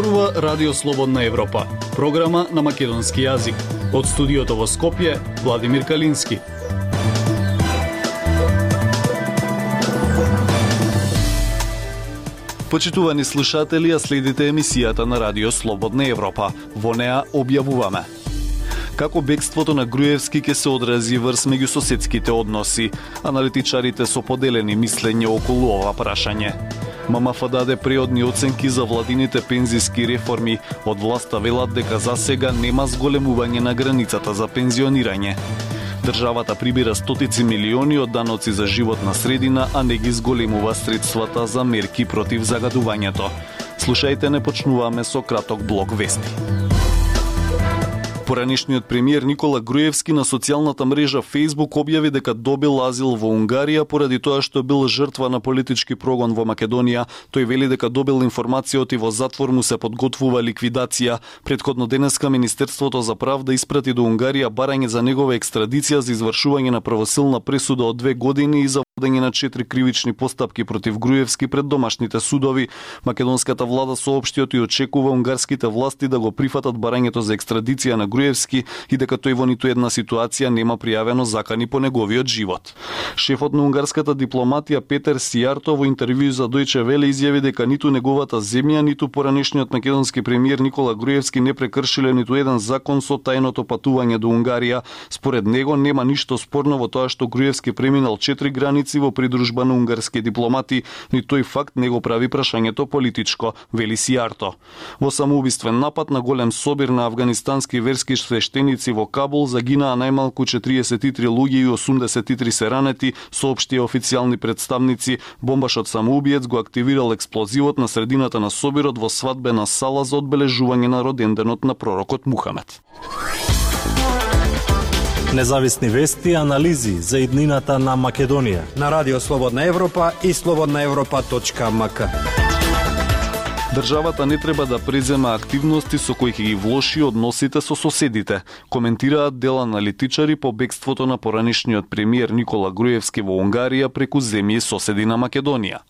Зборува Радио Слободна Европа, програма на македонски јазик. Од студиото во Скопје, Владимир Калински. Почитувани слушатели, следите емисијата на Радио Слободна Европа. Во неа објавуваме како бегството на Груевски ќе се одрази врз меѓусоседските односи. Аналитичарите со поделени мислење околу ова прашање. ММФ даде преодни оценки за владините пензиски реформи. Од власта велат дека за сега нема зголемување на границата за пензионирање. Државата прибира стотици милиони од даноци за животна средина, а не ги зголемува средствата за мерки против загадувањето. Слушајте, не почнуваме со краток блок вести. Поранешниот премиер Никола Груевски на социјалната мрежа Facebook објави дека добил азил во Унгарија поради тоа што бил жртва на политички прогон во Македонија. Тој вели дека добил информацијата и во затвор му се подготвува ликвидација. Претходно денеска Министерството за правда испрати до Унгарија барање за негова екстрадиција за извршување на правосилна пресуда од 2 години и за водење на 4 кривични постапки против Груевски пред домашните судови. Македонската влада соопшти и очекува унгарските власти да го прифатат барањето за екстрадиција на Груевски и дека тој во ниту една ситуација нема пријавено закани по неговиот живот. Шефот на унгарската дипломатија Петер Сијарто во интервју за Deutsche Welle изјави дека ниту неговата земја, ниту поранешниот македонски премиер Никола Груевски не прекршиле ниту еден закон со тајното патување до Унгарија. Според него нема ништо спорно во тоа што Груевски преминал 4 граници во придружба на унгарски дипломати, ни тој факт не го прави прашањето политичко, вели Сијарто. Во самоубиствен напад на голем собир на афганистански верски свештеници во Кабул загинаа најмалку 43 луѓе и 83 се ранети, соопштија официјални представници. Бомбашот самоубиец го активирал експлозивот на средината на собирот во свадбена сала за одбележување на роденденот на пророкот Мухамед. Независни вести и анализи за иднината на Македонија на Радио Слободна Европа и slobodnaevropa.mk. Државата не треба да презема активности со кои ќе ги влоши односите со соседите, коментираат дел аналитичари по бегството на поранешниот премиер Никола Груевски во Унгарија преку земји соседи на Македонија.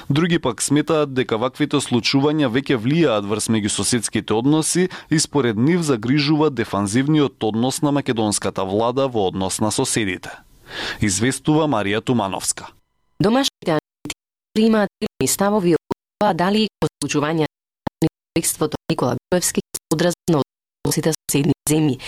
Други пак сметаат дека ваквите случувања веќе влијаат врз меѓусоседските односи и според нив загрижува дефанзивниот однос на македонската влада во однос на соседите. Известува Марија Тумановска. Домашните аналитичари имаат ставови дали по случување на бегството Никола Груевски се одрази на односите со соседни земји.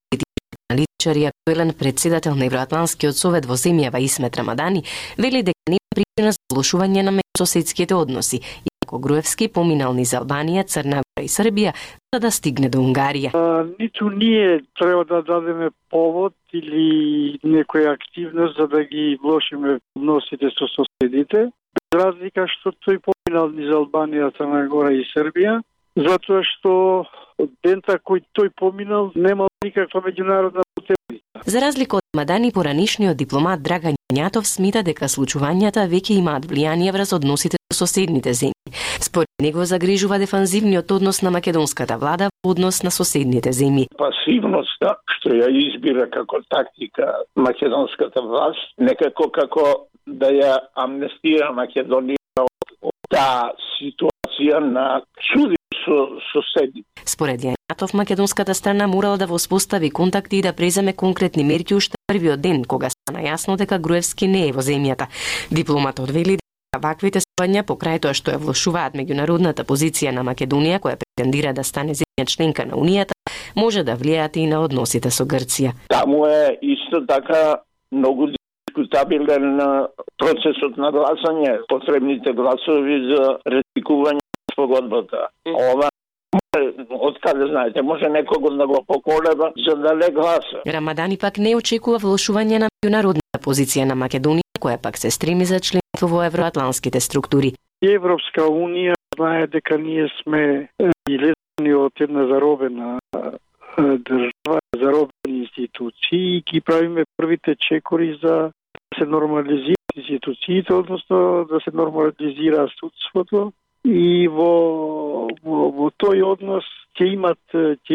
Политички аналитичари, актуелен председател на Евроатланскиот совет во земјава Исмет Рамадани, вели дека нема причина за влошување на меѓусоседските односи, иако Груевски поминал низ Албанија, Црна Гора и Србија за да стигне до Унгарија. Ниту ние треба да дадеме повод или некоја активност за да ги влошиме односите со соседите. Без разлика што тој поминал низ Албанија, Црна Гора и Србија, затоа што од дента кој тој поминал немал никаква меѓународна потребица. За разлика од Мадани, поранешниот дипломат Драган Јанјатов смета дека случувањата веќе имаат влијание врз односите со соседните земји. Според него загрижува дефанзивниот однос на македонската влада во однос на соседните земји. Пасивноста што ја избира како тактика македонската власт, некако како да ја амнестира Македонија од таа ситуација на чуди со соседи. Според Јанјатов, македонската страна морала да воспостави контакти и да преземе конкретни мерки уште првиот ден, кога стана јасно дека Груевски не е во земјата. Дипломатот вели дека ваквите собања покрај тоа што ја влошуваат меѓународната позиција на Македонија, која претендира да стане земја членка на Унијата, може да влијаат и на односите со Грција. Таму е исто така многу дискутабилен процесот на гласање, потребните гласови за ратификување на спогодбата. Ова откаде знаете, може некого да го поколеба за да не гласа. Рамадани пак не очекува влошување на меѓународната позиција на Македонија, која пак се стреми за членство во евроатланските структури. Европска унија знае дека ние сме излезени од една заробена држава, заробени институции и ги правиме првите чекори за да се нормализираат институциите, односно да се нормализира судството и во тој однос ќе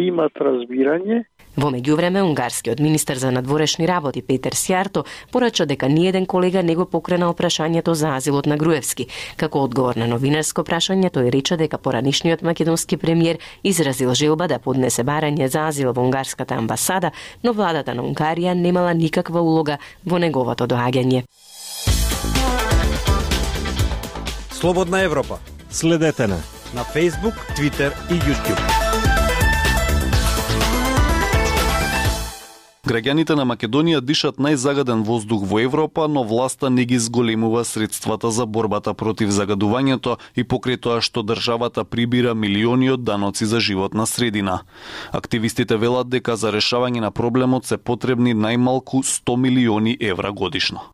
имат разбирање. Во меѓувреме, унгарскиот министер за надворешни работи Петер Сјарто порача дека ниеден колега не го покренал прашањето за азилот на Груевски. Како одговор на новинарско прашање, тој рече дека поранишниот македонски премиер изразил желба да поднесе барање за азил во унгарската амбасада, но владата на Унгарија немала никаква улога во неговото доаѓање. Слободна Европа. Следете на Facebook, Twitter и YouTube. Граѓаните на Македонија дишат најзагаден воздух во Европа, но власта не ги зголемува средствата за борбата против загадувањето и покрај тоа што државата прибира милиони од даноци за животна средина. Активистите велат дека за решавање на проблемот се потребни најмалку 100 милиони евра годишно.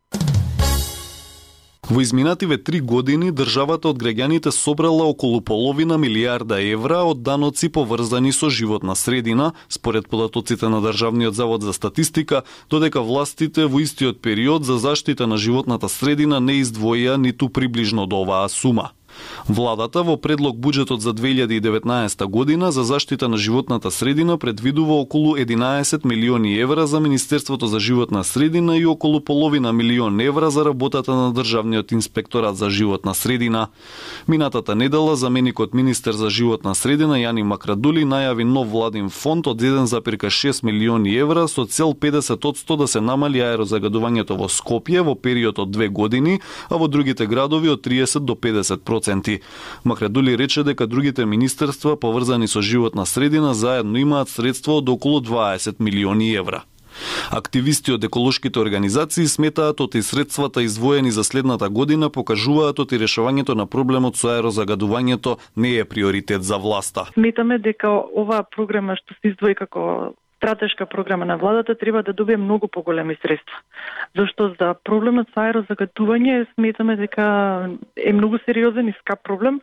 Во изминативе 3 години државата од граѓаните собрала околу половина милијарда евра од даноци поврзани со животна средина, според податоците на Државниот завод за статистика, додека властите во истиот период за заштита на животната средина не издвоија ниту приближно до оваа сума. Владата во предлог буџетот за 2019 година за заштита на животната средина предвидува околу 11 милиони евра за Министерството за животна средина и околу половина милион евра за работата на Државниот инспекторат за животна средина. Минатата недела заменикот министер за животна средина Јани Макрадули најави нов владин фонд од 1,6 милиони евра со цел 50% да се намали аерозагадувањето во Скопје во период од 2 години, а во другите градови од 30 до 50%. Макрадули рече дека другите министерства поврзани со животна средина заедно имаат средства од околу 20 милиони евра. Активисти од еколошките организации сметаат оти средствата издвоени за следната година покажуваат оти решавањето на проблемот со аерозагадувањето не е приоритет за власта. Сметаме дека оваа програма што се издвои како стратешка програма на владата треба да добие многу поголеми средства. Зашто за проблемот со аерозагадување сметаме дека е многу сериозен и скап проблем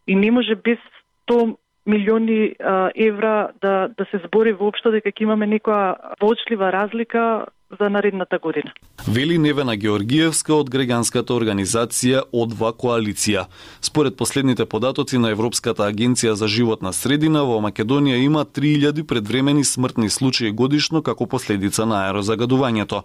и не може без 100 милиони евра да се збори воопшто дека ќе имаме некоја воочлива разлика за наредната година. Вели Невена Георгиевска од граѓанската организација Одва коалиција. Според последните податоци на Европската агенција за животна средина, во Македонија има 3000 предвремени смртни случаи годишно како последица на аерозагадувањето.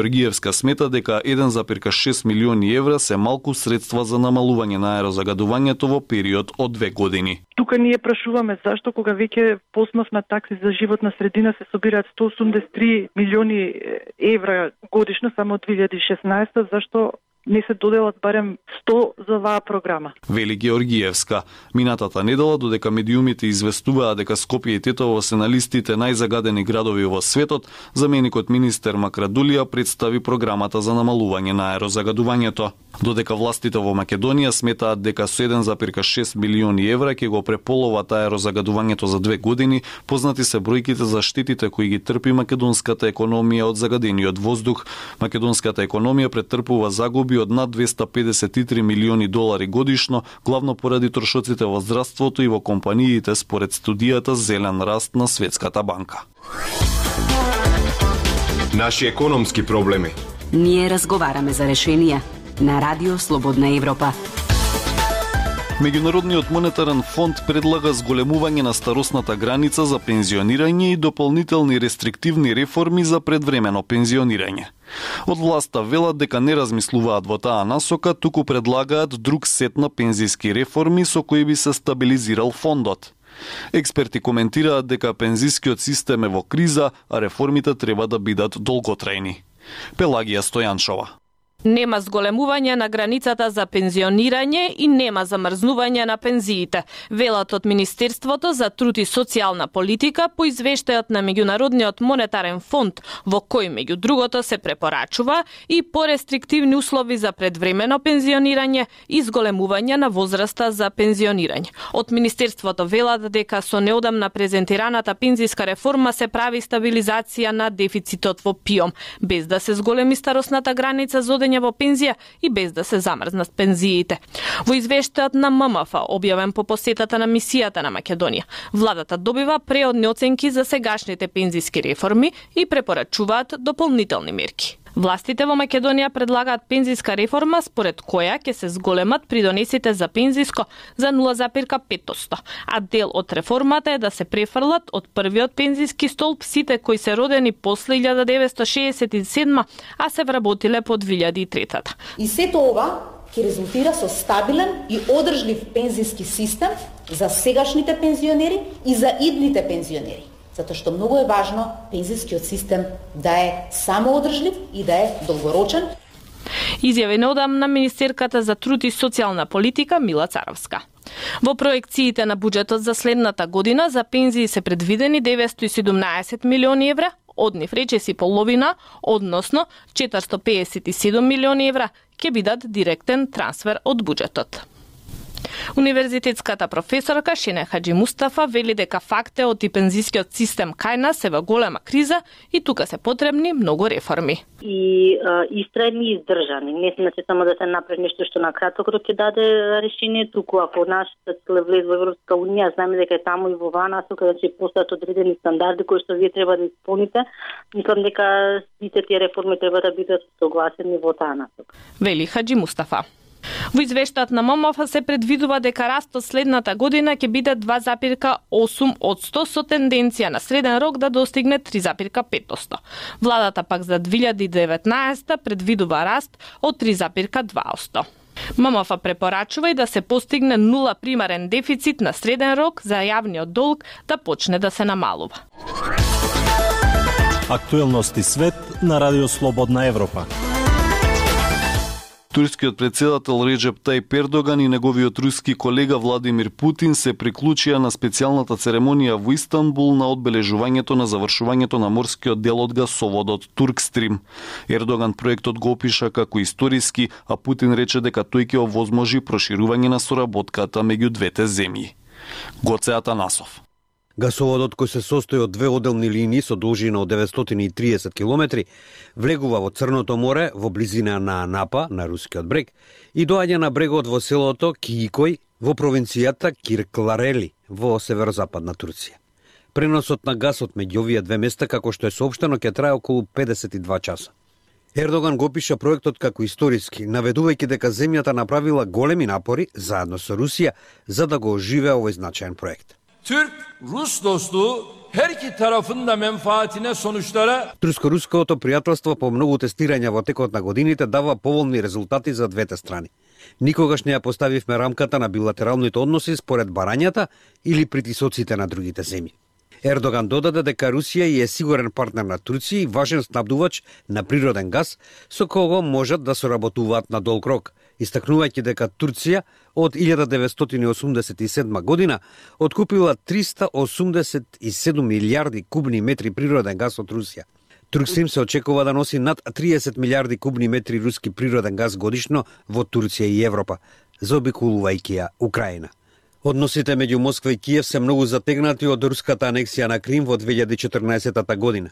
Георгиевска смета дека 1,6 милиони евра се малку средства за намалување на аерозагадувањето во период од 2 години. Тука ние прашуваме зашто кога веќе по основ на такси за животна средина се собираат 183 милиони евра годишно само од 2016, зашто не се доделат барем 100 за оваа програма. Вели Георгиевска. Минатата недела, додека медиумите известуваа дека Скопје и Тетово се на листите најзагадени градови во светот, заменикот министер Макрадулија представи програмата за намалување на аерозагадувањето. Додека властите во Македонија сметаат дека со 1,6 милиони евра ќе го преполоват аерозагадувањето за 2 години, познати се бројките за штетите кои ги трпи македонската економија од загадениот воздух. Македонската економија претрпува загуби од над 253 милиони долари годишно, главно поради трошоците во здравството и во компаниите според студијата Зелен раст на Светската банка. Наши економски проблеми. Ние разговараме за решенија на Радио Слободна Европа. Меѓународниот монетарен фонд предлага зголемување на старосната граница за пензионирање и дополнителни рестриктивни реформи за предвремено пензионирање. Од власта велат дека не размислуваат во таа насока, туку предлагаат друг сет на пензиски реформи со кои би се стабилизирал фондот. Експерти коментираат дека пензискиот систем е во криза, а реформите треба да бидат долготрајни. Пелагија Стојаншова. Нема зголемување на границата за пензионирање и нема замрзнување на пензиите, велат од Министерството за труд и социјална политика по извештајот на Меѓународниот монетарен фонд, во кој меѓу другото се препорачува и порестриктивни услови за предвремено пензионирање и зголемување на возраста за пензионирање. Од Министерството велат дека со неодамна презентираната пензиска реформа се прави стабилизација на дефицитот во ПИОМ, без да се зголеми старосната граница за во пензија и без да се замрзнат пензиите. Во извештајот на ММФ, објавен по посетата на мисијата на Македонија, владата добива преодни оценки за сегашните пензиски реформи и препорачуваат дополнителни мерки. Властите во Македонија предлагаат пензиска реформа според која ќе се зголемат придонесите за пензиско за 0,5%, а дел од реформата е да се префрлат од првиот пензиски столб сите кои се родени после 1967, а се вработиле по 2003. И сето ова ќе резултира со стабилен и одржлив пензиски систем за сегашните пензионери и за идните пензионери. Затоа што многу е важно пензискиот систем да е самоодржлив и да е долгорочен. Изјави неодамна министерката за труд и социјална политика Мила Царовска. Во проекциите на буџетот за следната година за пензии се предвидени 917 милиони евра, од нив речиси половина, односно 457 милиони евра, ќе бидат директен трансфер од буџетот. Универзитетската професорка Шене Хаджи Мустафа вели дека фактот и пензискиот систем кај нас се во голема криза и тука се потребни многу реформи. И истрајни и издржани. Не значи само да се направи нешто што на краток рок ќе даде решение, туку ако нашата цел влез во Европска унија, знаеме дека е таму и во оваа насока, значи постојат одредени стандарди кои што вие треба да исполните. Мислам дека сите тие реформи треба да бидат согласени во таа насока. Вели Хаджи Мустафа. Во извештајот на ММФ се предвидува дека растот следната година ќе биде 2,8% со тенденција на среден рок да достигне 3,5%. Владата пак за 2019 предвидува раст од 3,2%. ММФ препорачува и да се постигне 0 примарен дефицит на среден рок за јавниот долг да почне да се намалува. Актуелности свет на Радио Слободна Европа. Турскиот претседател Реджеп Тајип Ердоган и неговиот руски колега Владимир Путин се приклучија на специјалната церемонија во Истанбул на одбележувањето на завршувањето на морскиот дел од гасоводот Туркстрим. Ердоган проектот го опиша како историски, а Путин рече дека тој ќе овозможи проширување на соработката меѓу двете земји. Гоце Атанасов. Гасоводот, кој се состои од две одделни линии со должина од 930 км, влегува во Црното море во близина на Анапа, на рускиот брег, и доаѓа на брегот во селото Киикој во провинцијата Киркларели во северозападна Турција. Преносот на гасот меѓу овие две места, како што е соопштено, ќе трае околу 52 часа. Ердоган го опиша проектот како историски, наведувајќи дека земјата направила големи напори заедно со Русија за да го оживее овој значаен проект. Türk-Rus dostluğu her iki tarafın da menfaatine sonuçlara... Турско-руското пријателство по многу тестирања во текот на годините дава поволни резултати за двете страни. Никогаш не ја поставивме рамката на билатералните односи според барањата или притисоците на другите земји. Ердоган додаде дека Русија е сигурен партнер на Турција и важен снабдувач на природен газ со кого можат да соработуваат на долг рок, истакнувајќи дека Турција од 1987 година откупила 387 милиарди кубни метри природен газ од Русија. Туркстрим се очекува да носи над 30 милиарди кубни метри руски природен газ годишно во Турција и Европа, заобиколувајќи ја Украина. Односите меѓу Москва и Киев се многу затегнати од руската анексија на Крим во 2014 година.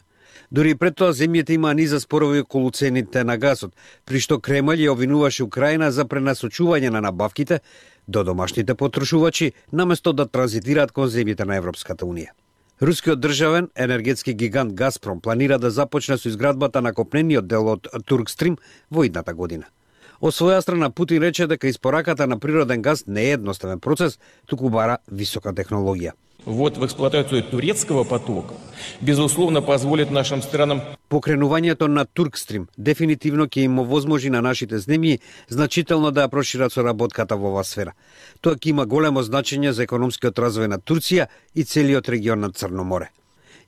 Дури пред тоа земјите имаа низа спорови околу цените на газот, при што Кремљ ја обвинуваше Украина за пренасочување на набавките до домашните потрошувачи, наместо да транзитираат кон земјите на Европската унија. Рускиот државен енергетски гигант Газпром планира да започне со изградбата на копнениот дел од Туркстрим во идната година. Од своја страна Путин рече дека испораката на природен газ не е едноставен процес, туку бара висока технологија. Вот в эксплуатацию турецкого потока безусловно позволит нашим странам... Покренувањето на Туркстрим дефинитивно ќе им овозможи на нашите земји значително да ја прошират соработката во оваа сфера. Тоа ќе има големо значење за економскиот развој на Турција и целиот регион на Црно море.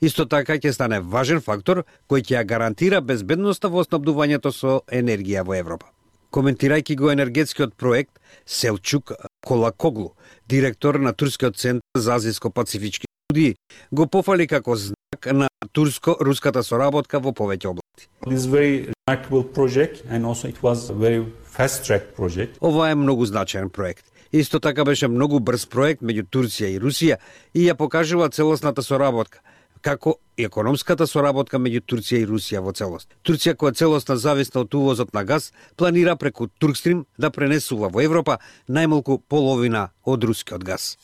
Исто така ќе стане важен фактор кој ќе ја гарантира безбедноста во снабдувањето со енергија во Европа. Коментирајќи го енергетскиот проект, Селчук Колакоглу, директор на Турскиот центар за азијско-пацифички студии, го пофали како знак на турско-руската соработка во повеќе области. This very remarkable project and also it was a very fast track project. Ова е многу значаен проект. Исто така беше многу брз проект меѓу Турција и Русија и ја покажува целосната соработка, како и економската соработка меѓу Турција и Русија во целост. Турција, која целосно зависна од увозот на газ, планира преку Туркстрим да пренесува во Европа најмалку половина од рускиот газ.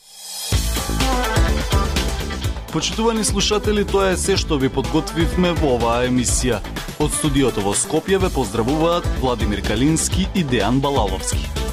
Почитувани слушатели, тоа е се што ви подготвивме во оваа емисија. Од студиото во Скопје ве поздравуваат Владимир Калински и Дејан Балаловски.